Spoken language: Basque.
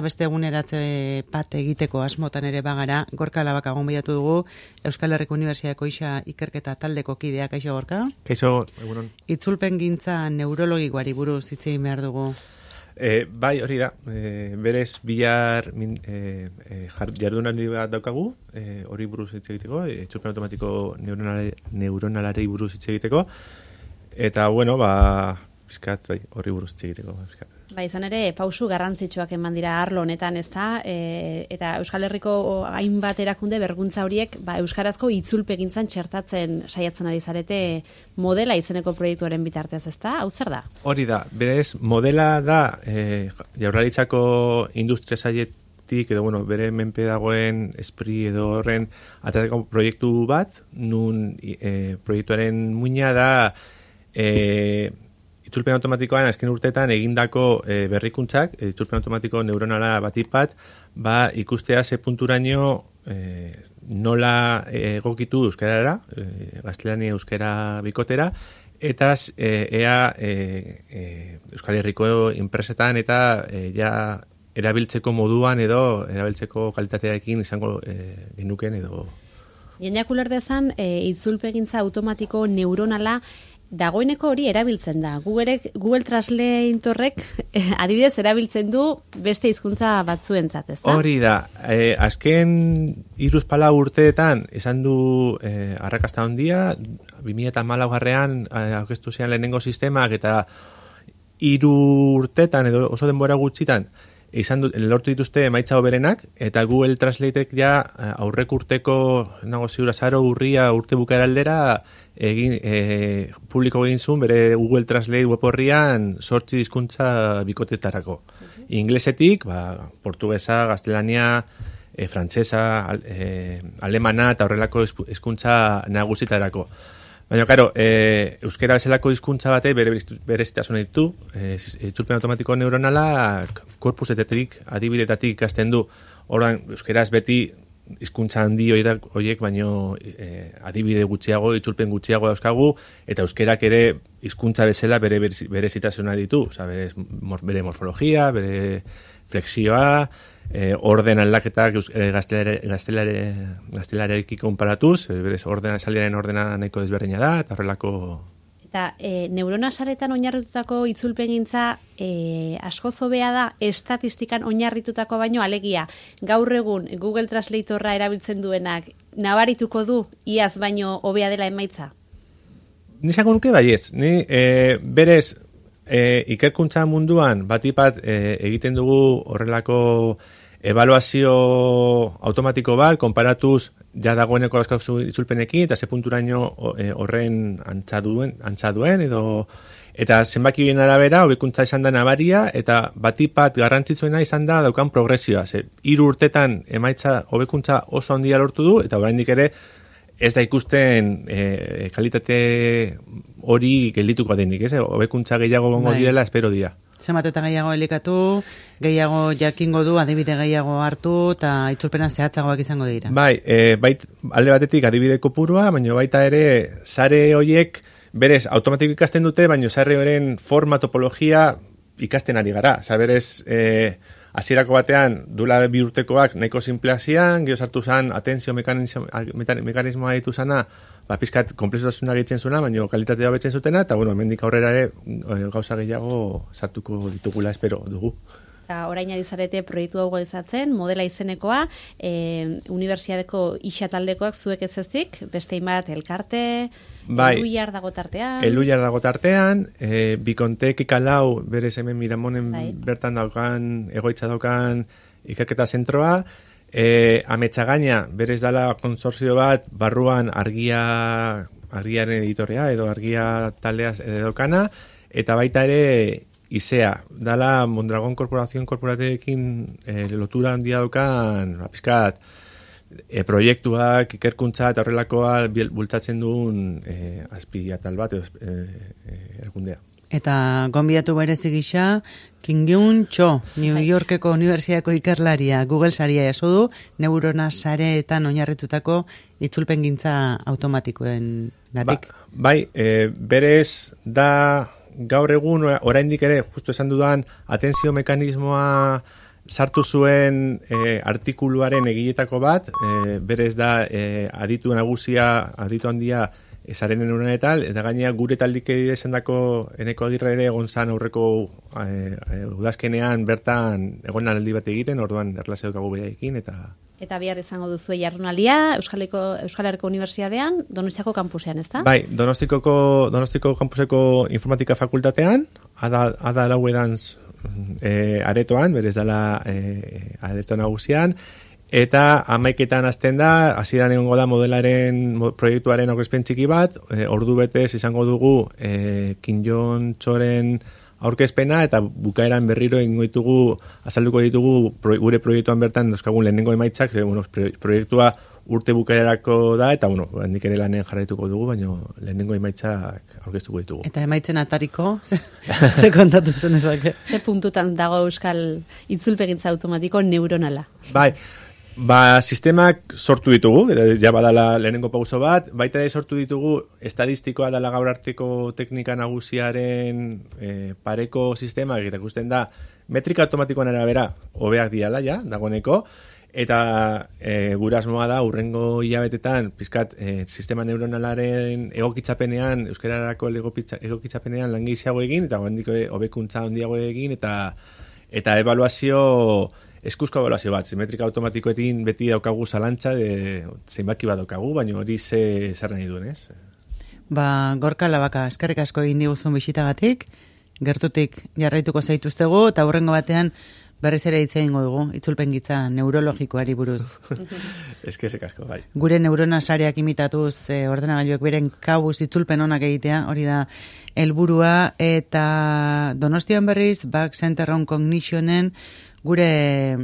Beste eguneratze bat egiteko asmotan ere bagara, Gorka Labaka gonbidatu dugu, Euskal Herriko Unibertsitateko ikerketa taldeko kideak, kaixo Gorka? Kaixo, egunon. Itzulpen gintza neurologikoari buruz hitz egin behar dugu. Bai, hori da, berez bihar jardunaldi bat daukagu, hori buruz hitz egiteko, itzulpen automatiko neuronalari buruz hitz egiteko, eta, bueno, pizkat, horri buruz hitz egiteko, pizkat. Izan ere, pausu garrantzitsuak eman dira arlo honetan, ezta? Eta Euskal Herriko hainbat erakunde berguntza horiek euskarazko itzulpegintzan txertatzen saiatzen ari zarete modela izeneko proiektuaren bitartez, ezta? Hau zer da? Hori da, berez, modela da Jaurlaritzako industria sailetik edo, bere menpe dagoen espri edo horren atateko proiektu bat, nun proiektuaren muina da itzulpen automatikoan azken urteetan egindako berrikuntzak, itzulpen automatiko neuronala batipat, ikustea ze punturaino nola egokitu euskarara, gaztelania euskara bikotera, eta ea Euskal Herriko enpresetan eta ja erabiltzeko moduan edo erabiltzeko kalitatearekin izango genuken edo. Jendeak ulerdezan, itzulpegintza automatiko neuronala dagoeneko hori erabiltzen da. Google Translatorrek adibidez erabiltzen du beste hizkuntza batzuentzat, ezta? Hori da. Azken 3-4 urteetan esan du arrakasta handia, 2014an aurkeztu ziren lehenengo sistemak eta 3 urtetan edo oso denbora gutxitan lortu dituzte emaitza hoberenak, eta Google Translatek ja aurrek urteko nago ziur azaro urria urte bukaera aldera publiko egin zuen bere Google Translate web horrian 8 hizkuntza bikotetarako. Inglesetik, portugesa, gaztelania, frantsesa, alemana eta horrelako hizkuntza nagusitarako. Baina, karo, euskera bezalako hizkuntza bate berezitasun ditu, itzulpen automatiko neuronala korpusetetik, adibidetatik ikasten du. Orduan, euskeraz beti hizkuntza handi horiek, baino adibide gutxiago, itzulpen gutxiago dauzkagu, eta euskerak ere hizkuntza bezala berezitasuna ditu. Bere morfologia, bere flexioa, orden aldaketak gaztelerarekin konparatuz, berez saliaren ordena nahiko desberdina da, eta horrelako. Eta neurona saretan oinarritutako itzulpengintza asko hobea da estatistikan oinarritutako baino, alegia gaur egun Google Translatorra erabiltzen duenak nabarituko du iaz baino hobea dela emaitza? Nizango nuke baiez. Ni berez ikerkuntza munduan batipat egiten dugu horrelako ebaluazio automatiko bat, konparatuz ja dagoeneko askauzu itzulpenekin, eta ze punturaino horren antza duen, edo eta zenbakien arabera, hobekuntza izan da nabaria, eta batipat garrantzitsuena izan da daukan progresioa. 3 urtetan emaitza hobekuntza oso handia lortu du, eta oraindik ere ez da ikusten kalitate hori geldituko denik, hobekuntza gehiago gongo direla, espero dira. Zenbat eta gehiago elikatu, gehiago jakingo du, adibide gehiago hartu, eta itzulpena zehatzagoak izango dira. Bai, alde batetik adibide kopurua, baina baita ere sare horiek berez automatiko ikasten dute, baina sare horren forma, topologia ikasten ari gara. Berez, hasierako batean, dula 2 urtekoak nahiko simpleak zian, gero sartu zen atentzio mekanismoa ditu zana, pizkat komplexutasuna gehitzen zuena, baina kalitatea betzen zutena, eta hemendik aurrera ere gauza gehiago sartuko ditugula espero dugu. Orain adizarete proiektu hau gauzatzen, modela izenekoa, unibertsitateko isataldekoak zuek ez ezik, beste inbat elkarte, Eluiar dago tartean. Eluiar dago tartean, Bikontek ikalau, berez hemen Miramonen bertan daukan, egoitza daukan ikerketa zentroa, Ametsagaina, berez dala konsortzio bat, barruan argiaren editorea, edo argia taldea edokana, eta baita ere ISEA, dala Mondragon Korporazioen korporateekin lotura handia daukan, pizkat, proiektuak, ikerkuntza eta horrelakoa bultzatzen duen azpiatal bat, erakundea. Eta gonbidatu berezi gisa, Kim-Gyun Cho, New Yorkeko Unibertsitateko ikerlaria, Google saria jaso du, neurona sareetan oinarritutako itzulpengintza automatikoen gatik. Bai, berez da gaur egun oraindik ere, justu esan dudan, atentzio mekanismoa sartu zuen artikuluaren egiletako bat, berez da aditu handia esaren neuronetal, eta gainea gure taldike izendako Eneko Agirre ere egon zan aurreko udazkenean bertan egon aldi bat egiten, orduan erlazio dukagu beraiekin, Eta bihar izango duzu jardunaldia Euskal Herriko Unibertsitatean, Donostiako kampusean, ezta? Bai, Donostiko kampuseko informatika fakultatean, ada lauedantz aretoan, berez dela areto nagusian, eta 11etan hasten da, hasieran egongo da modelaren proiektuaren aurkezpen txiki bat, ordu betez izango dugu Kinjon Txoren aurkezpena, eta bukaeran berriro azalduko ditugu gure proiektuan bertan dauzkagun lehenengo emaitzak, proiektua urte bukaerarako da, eta handik ere lanen jarraituko dugu, baina lehenengo emaitzak aurkeztuko ditugu. Eta emaitzen atariko, ze kontatu zen ezake? Ze puntutan dago Euskal itzulpegintza automatiko neuronala? Bai, sistemak sortu ditugu, ja badala lehenengo pauso bat, baita ere sortu ditugu estadistikoa dela gaur arteko teknika nagusiaren pareko sistema, eta ikusten da, metrika automatikoan arabera hobeak diala, ja, dagoeneko, eta gure asmoa da, urrengo hilabetetan, pizkat, sistema neuronalaren egokitzapenean, euskararako egokitzapenean lan gehiago egin, eta hobekuntza handiago egin, eta ebaluazio, eskuzko ebaluazio bat, metrika automatikoetin beti daukagu zalantza, zeinbaki bat daukagu, baina hori zer nahi duen, ez? Gorka Labaka, eskerrik asko egin diguzun bisitagatik, gertutik jarraituko zaituztegu, eta hurrengo batean berriz ere hitz egingo dugu, itzulpengintza neurologikoari buruz. Eskerrik asko, bai. Gure neurona sareak imitatuz ordenagailuek beren kabuz itzulpen onak egitea, hori da helburua, eta Donostian berriz, Back Center on Cognitionen gure